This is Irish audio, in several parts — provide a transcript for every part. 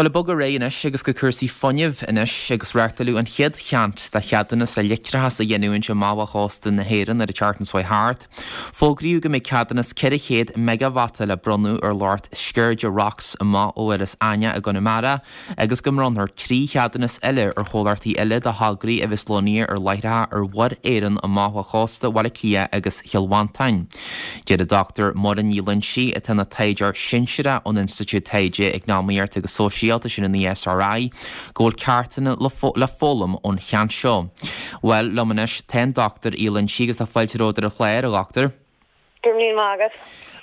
Bhuel, ag bogadh ar aghaidh anois agus go cúrsaí fuinnimh anois agus reáchtáladh an chéad cheant de cheadúnas le leictreachas a ghiniúint amach ó chósta na hÉireann ar an tseachtain seo chuaigh thart. Fógraíodh go mbeidh ceadúnas 400 meigeavata le bronnadh ar lucht Sceirde Rocks amach ó Iorras Aithneach i gConamara agus go mbronnfar 3 cheadúnas eile ar chomhlachtaí eile do thograí a bheas lonnaithe ar láithreacha ar Mhuir Éireann amach ó chósta Bhaile Átha Cliath agus Chill Mhantáin. Deir an Dr Muireann Ní Loingsigh, atá ina taighdeoir sinsearach ón Institiúid Taighde Eacnamaíochta agus Sóisialta, sin an ESRI, go bhfuil ceachtanna le foghlaim ón cheant seo. Bhuel, liom anois tá an Dr Uí Loingsigh agus tá fáilte romhat ar an chlár, a Dhochtúir. Go raibh míle maith agat.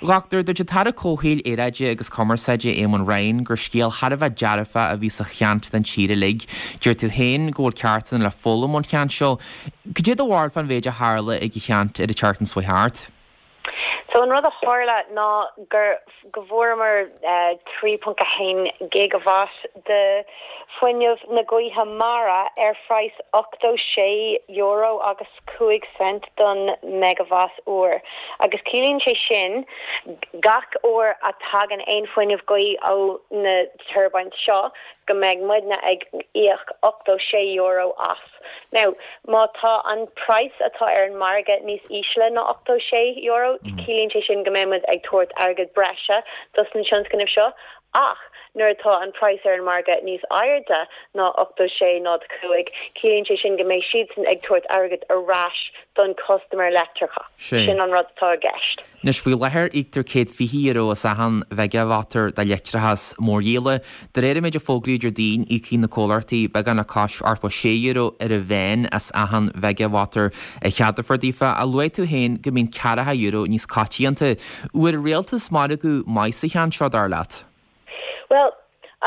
A Dhochtúir, dúirt an tAire Comhshaoil, Aeráide agus Cumarsáide, Eamon Ryan, gur scéal thar a bheith dearfach a bhí sa cheant don tír uilig. Deir tú féin go bhfuil ceachtanna le foghlaim ón cheant seo. Cad é do bharúil fán mhéid a tharla ag an cheant ar an tseachtain seo chuaigh thart? So an rud a tharla ná gur go bhfuaireamar 3.1 gigawatt de fuinneamh na gaoithe mara ar phraghas €86 agus 5 cent don meigeavat uair agus ciallaíonn sé sin gach uair a tagann aon fuinneamh gaoth ó na turbines seo go mbeidh muidne ag íoc €86 as. Now, má tá an praghas atá ar an margadh níos ísle ná €86, ciallaíonn sé sin go mbeidh muid ag tabhairt airgead breise dos na tionscnaimh seo ach nuair atá an praghas ar an margadh níos airde ná 86.05, ciallaíonn sé sin go mbeidh siadsan ag tabhairt airgead ar ais don custaiméir leictreachais. Sin an rud atá i gceist. Anois, faoi láthair, íoctar €120 as achan mheigeavataur de leictreachas mórdhíola. De réir an méid a fógraíodh Déardaoin, íocfaidh na comhlachtaí beagán le cois €86 ar an mheán as achan mheigeavataur a cheadófar daofa. Ach luaigh tú féin go mbíonn ceathracha euro níos coitianta. Bhfuair an rialtas margadh maith sa cheant seo, dar leat? Bhuel,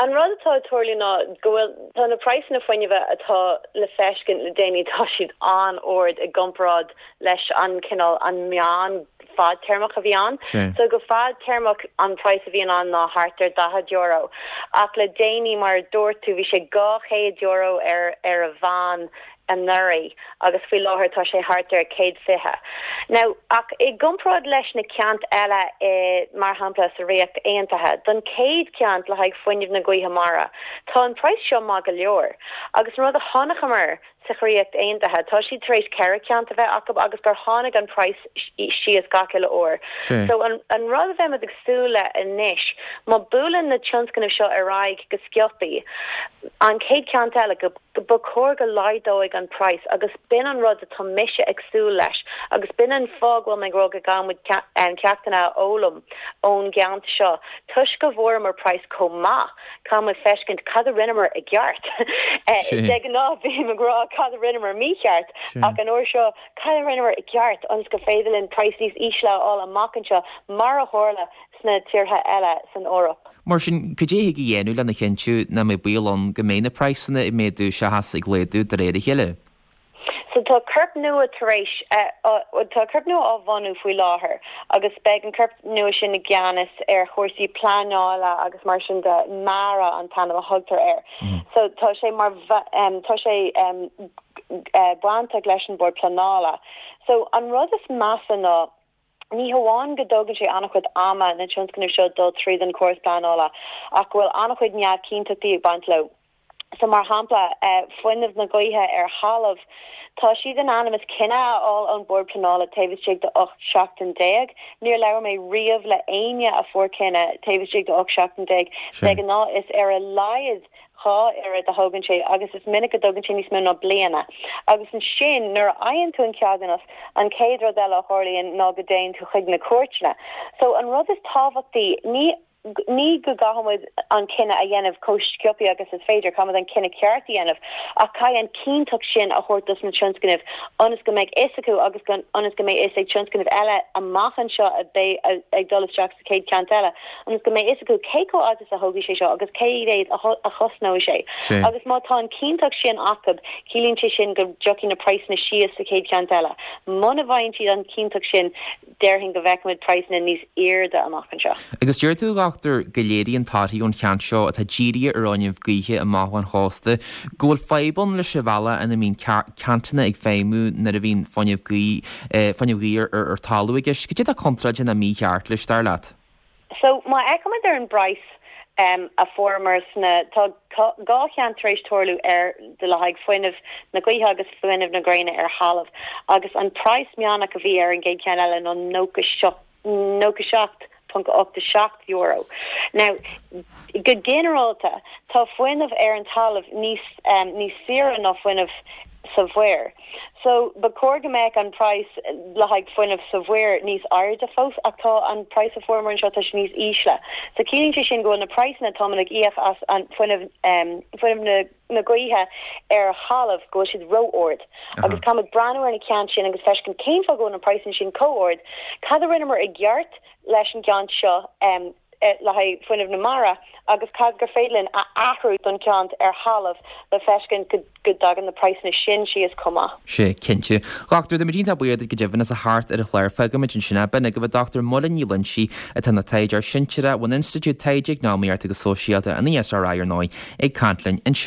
an rud atá ag tarlú ná go bhfuil, tá na praghsanna fuinnimhe atá le feiscint le déanaí, tá siad an-ard i gcomparáid leis an cineál, an meán fadtéarmach a bhí ann. So go fadtéarmach an praghas a bhíonn ann ná thart ar €40. Ach le déanaí, mar a dúirt tú, bhí sé €200 ar ar a mheán anuraidh agus faoi láthair tá sé thart ar 120. Now, ach i gcomparáid leis na ceant eile i, mar shampla, sa Ríocht Aontaithe, don chéad cheant le haghaidh fuinneamh na gaoithe mara, tá an praghas seo maith go leor. Agus an rud a chonaiceamar sa Ríocht Aontaithe, tá siad tar éis 4 cheant a bheith acu agus gur tháinig an praghas síos gach uile uair. So an an rud a bheimid ag súil le anois, má buaileann na tionscnaimh seo ar aghaidh go sciobthaí, an chéad cheant eile, go Ba chóir go laghdóidh an praghas agus b'in an rud atá mise ag súil leis agus b'in an fáth go bhfuil mé ag rá go gcaithfidh muid ceachtanna a fhoghlaim ón gceant seo. Toisc go bhfuaireamar praghas chomh maith, caithfidh muid feiscint cad a rinneamar i gceart. De ghnáth bím ag rá cad a rinneamar mícheart ach an uair seo cad a rinneamar i gceart ionas gur féidir linn praghas níos ísle a fháil amach anseo mar a tharla sna tíortha eile san Eoraip. Mar sin, cad é a thig a dhéanamh lena chinntiú nach mbeidh baol ann go mbeidh na praghsanna ag méadú seachas ag laghdú de réir a chéile? So tá corp nua tar éis, tá corp nua á bhunú faoi láthair agus beidh an corp nua sin i gceannas ar chúrsaí pleanála agus mar sin de, MARA an t-ainm a thugtar air. So tá sé mar, tá sé bainteach leis an Bord Pleanála. So an rud is measa ná, Ní hamháin go dtógann sé an-chuid ama na tionscnaimh seo dul tríd an chóras pleanála ach go bhfuil an-chuid neamhchinnteachtaí ag baint leo. So mar shampla, fuinneamh na gaoithe ar thalamh, tá siad in ainm is cinneadh a fháil ón Bord Pleanála taobh istigh de 18 seachtain. Níor labhair mé riamh le éinne a fuair cinneadh taobh istigh de 18 seachtain. De ghnáth is ar a laghad 2 oiread a thógann sé agus is minic go dtógann sé níos mó ná bliana. Agus ansin nuair a fhaigheann tú an ceadúnas, an chéad rud eile a tharlaíonn ná go dtéann tú chuig na cúirteanna. So an rud is tábhachtaí, ní ní go gcaithfidh muid an cinneadh a dhéanamh chomh sciobtha agus is féidir, caithfidh muid an cinneadh ceart a dhéanamh ach caithfidh an cinnteacht sin a thabhairt dos na tionscnaimh ionas go mbeidh fhios acu agus ionas go mbeidh fhios ag tionscnaimh eile amach anseo a bheidh ag dul isteach sa chéad cheant eile. ionas go mbeidh fhios acu cé chomh fhada is a thógfaidh sé seo agus cé mhéad a chosnóidh sé. Agus má tá an chinnteacht sin acu, ciallaíonn sé sin go dtiocfaidh na praghsanna síos sa chéad cheant eile. Muna bhfaigheann siad an chinnteacht sin, déarfainn go bhfeicfimid praghsanna níos airde amach anseo. Agus deir tú, a Dhochtúir, go léiríonn torthaí ón cheant seo atá dírithe ar fhuinneamh gaoithe amach ón chósta go bhfuil fadhb ann leis an bhealach ina mbíonn ceantanna ag feidhmiú nuair a bhíonn fuinneamh fuinneamh gaoithe ar talamh i gceist. Cad é atá contráilte nó mícheart leis, dar leat? So, má fhéachaimid ar an bpraghas. A fuaireamar sna, tá 2 cheant tar éis tarlú ar le haghaidh fuinneamh na gaoithe agus fuinneamh na gréine ar thalamh agus an praghas meánach a bhí ar an gcéad cheann eile ná €97.87. Now, go ginearálta, tá fuinneamh ar an talamh níos níos saoire ná fuinneamh sa mhuir. So, ba chóir go mbeadh an praghas le haghaidh fuinneamh sa mhuir níos airde fós ach tá an praghas a fuaireamar anseo, tá sé níos ísle. So, ciallaíonn sé sin go bhfuil na praghsanna atáimid ag íoc as an fuinneamh, fuinneamh na, na gaoithe ar thalamh, go bhfuil siad ró-ard. Agus caithfimid breathnú ar na ceant sin agus feiscint cén fáth go bhfuil na praghsanna sin chomh ard, cad a rinneamar i gceart leis an gceant seo, le haghaidh fuinneamh na mara agus cad gur féidir linn a athrú don cheant ar thalamh le feiscint go dtagann na praghsanna sin síos chomh maith. Sea, cinnte. Dhochtúir, táimid iontach buíoch duit go deimhin as a theacht ar an chlár. Fágfaimid ansin é. B'in agaibh an Dr Muireann Ní Loingsigh atá ina taighdeoir sinsearach ón Institiúid Taighde Eacnamaíochta agus Sóisialta, an ESRI ar ndóigh, ag caint linn ansin.